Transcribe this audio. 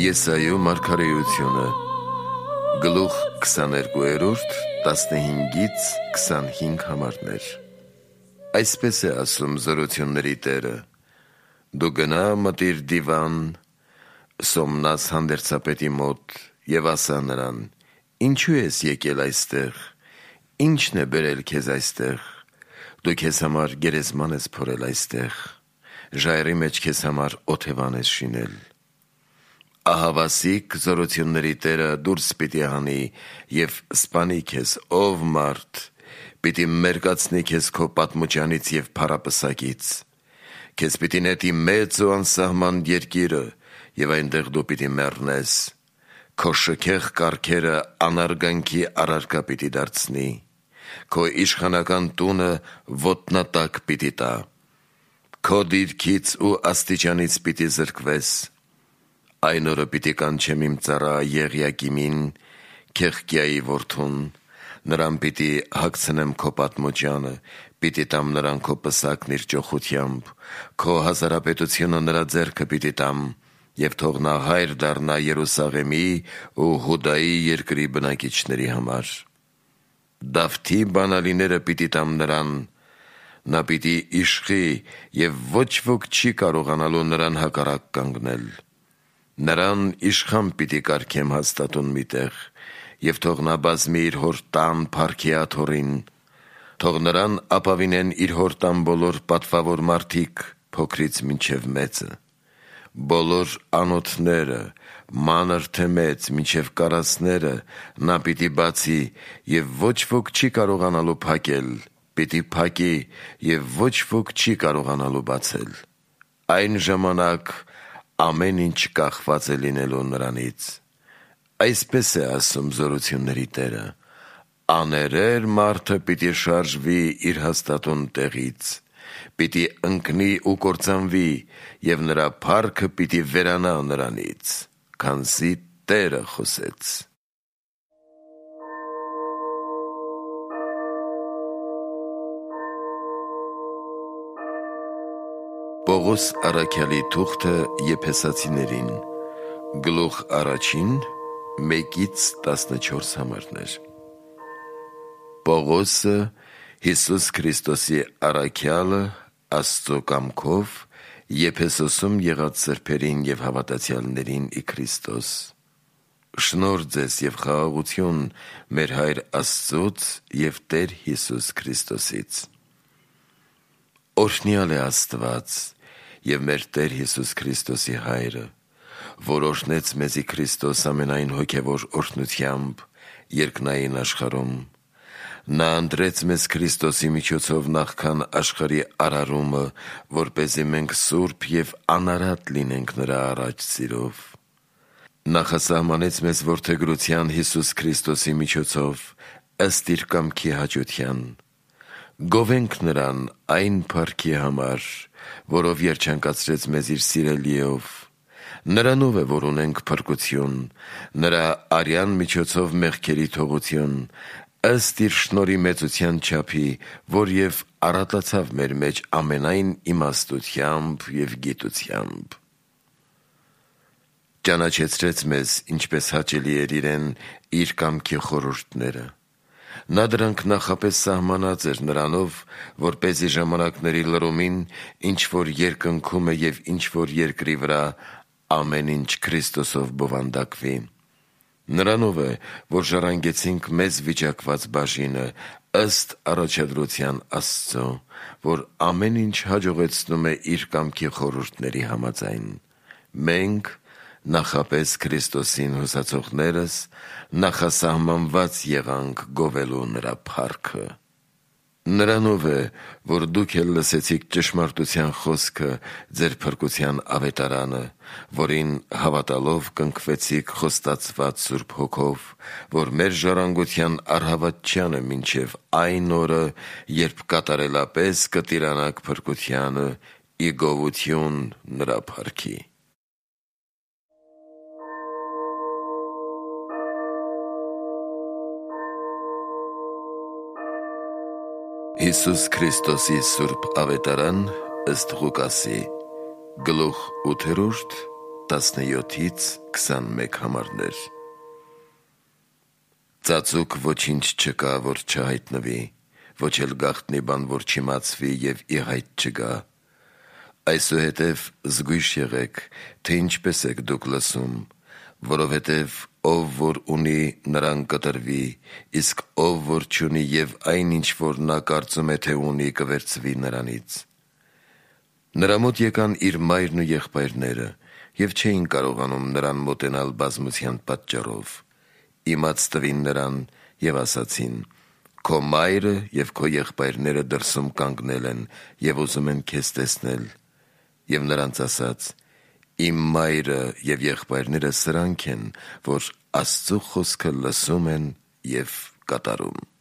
Եսայու մարգարեությունը գլուխ 22 15-ից 25 համարներ։ Այսպես է ասում զորությունների Տերը. դու գնա մտիր դիվան Սոմնաս հանդերձապետի մոտ և ասա նրան. ինչու ես եկել այստեղ, ինչն է բերել քեզ այստեղ, դու քեզ համար գերեզման ես փորել այստեղ, ժայռի մեջ քեզ համար օթևան ես շինել։ Ահավասիկ զորությունների Տերը դուրս պիտի հանի և սպանի քեզ, ով մարդ, պիտի մերկացնի քեզ քո պատմուճանից և փառապսակից, քեզ պիտի նետի մեծ ու անսահման երկիրը և այնտեղ դու պիտի մեռնես, քո շքեղ կառքերը անարգանքի առարկա պիտի դարձնի, քո իշխանական տունը ոտնատակ պիտի տա, քո դիրքից ու աստիճանից պիտի զրկվես։ Այն օրը պիտի կանչեմ իմ ծառա Եղիակիմին, Քեղկիայի որդուն, նրան պիտի հագցնեմ քո պատմուճանը, պիտի տամ նրան քո պսակն իր ճոխությամբ, քո հազարապետությունը նրա ձեռքը պիտի տամ, և թող նա հայր դառնա Երուսաղեմի ու Հուդայի երկրի բնակիչների համար։ Դավթի բանալիները պիտի տամ նրան, նա պիտի իշխի և ոչ ոք չի կարողանալու նրան հակառակ կանգնել։ Նրան իշխան պիտի կարգեմ հաստատուն մի տեղ, և թող նա բազմի իր հոր տան փառքի աթոռին, թող նրան ապավինեն իր հոր տան բոլոր պատվավոր մարդիկ, փոքրից մինչև մեծը, բոլոր անոթները, մանր թե մեծ, մինչև կարասները նա պիտի բացի, և ոչ ոք չի կարողանալու փակել, պիտի փակի, և ոչ ոք չի կարողանալու բացել։ Այն ժամանակ ամեն ինչ կախված է լինելու նրանից։ Այսպես է ասում զորությունների Տերը. աներեր մարդը պիտի շարժվի իր հաստատուն տեղից, պիտի ընկնի ու կործանվի, և նրա փառքը պիտի վերանա նրանից, քանզի Տերը խոսեց։ Պողոս առաքյալի թուղթը Եփեսացիներին, գլուխ 1, 1-14 համարներ։ Պողոսը, Հիսուս Քրիստոսի առաքյալը, Աստծո կամքով, Եփեսոսում եղած սրբերին և հավատացյալներին ի Քրիստոս։ Շնորհ ձեզ և խաղաղություն մեր Հայր Աստծուց և Տեր Հիսուս Քրիստոսից։ Օրհնյալ է Աստված և մեր Տեր Հիսուս Քրիստոսի Հայրը, որ օրհնեց մեզի Քրիստոս ամենայն հոգևոր օրհնությամբ երկնային աշխարհում։ Նա ընտրեց մեզ Քրիստոսի միջոցով նախքան աշխարհի արարումը, որպեսզի մենք սուրբ և անարատ լինենք նրա առաջ սիրով։ Նախասահմանեց մեզ որդեգրության Հիսուս Քրիստոսի միջոցով, ըստ իր կամքի հաճության։ Գովենք նրան այն փառքի համար, որով երջանկացրեց մեզ իր սիրելիով։ Նրանով է, որ ունենք փրկություն, նրա արյան միջոցով մեղքերի թողություն, ըստ իր շնորհի մեծության չափի, որ և առատացավ մեր մեջ ամենայն իմաստությամբ և գիտությամբ։ Ճանաչեցրեց մեզ, ինչպես հաճելի էր իրեն, իր կամքի խորհուրդները։ Նա դրանք նախապես սահմանած էր նրանով, որպեսզի ժամանակների լրումին, ինչ որ երկնքում է և ինչ որ երկրի վրա, ամեն ինչ Քրիստոսով բովանդակվի։ Նրանով է, որ ժառանգեցինք մեզ վիճակված բաժինը, ըստ առաջադրության Աստծո, որ ամեն ինչ հաջողեցնում է իր կամքի խորհուրդների համաձայն։ Մենք նախապես Քրիստոսին հուսացողներս նախասահմանված եղանք գովելու նրա փառքը։ Նրանով է, որ դուք էլ լսեցիք ճշմարտության խոսքը, ձեր փրկության ավետարանը, որին հավատալով կնքվեցիք խոստացված Սուրբ Հոգով, որ մեր ժառանգության առհավատչանը մինչև այն օրը, երբ կատարելապես կտիրանաք փրկությանը, ի գովություն նրա փառքի։ Հիսուս Քրիստոսի Սուրբ Ավետարան ըստ Ղուկասի, գլուխ 8, 17-21 համարներ։ Ծածուկ ոչինչ չկա, որ չհայտնվի, ոչ էլ գաղտնի բան, որ չիմացվի և ի հայտ չգա։ Այսուհետև զգույշ եղեք, թե ինչպես եք դուք լսում, որովհետև ով որ ունի, նրան կտրվի, իսկ ով որ չունի և այն ինչ որ նա կարծում է, թե ունի, կվերցվի նրանից։ Նրա մոտ եկան իր մայրն ու եղբայրները և չէին կարողանում նրան մոտենալ բազմության պատճառով։ Իմաց տվին նրան և ասացին. «Քո մայրը և քո եղբայրները դրսում կանգնել են և ուզում են քեզ տեսնել»։ Եվ նրանց ասաց. «Իմ մայրը և եղբայրները սրանք են, որ Աստծու խոսքը լսում են և կատարում»։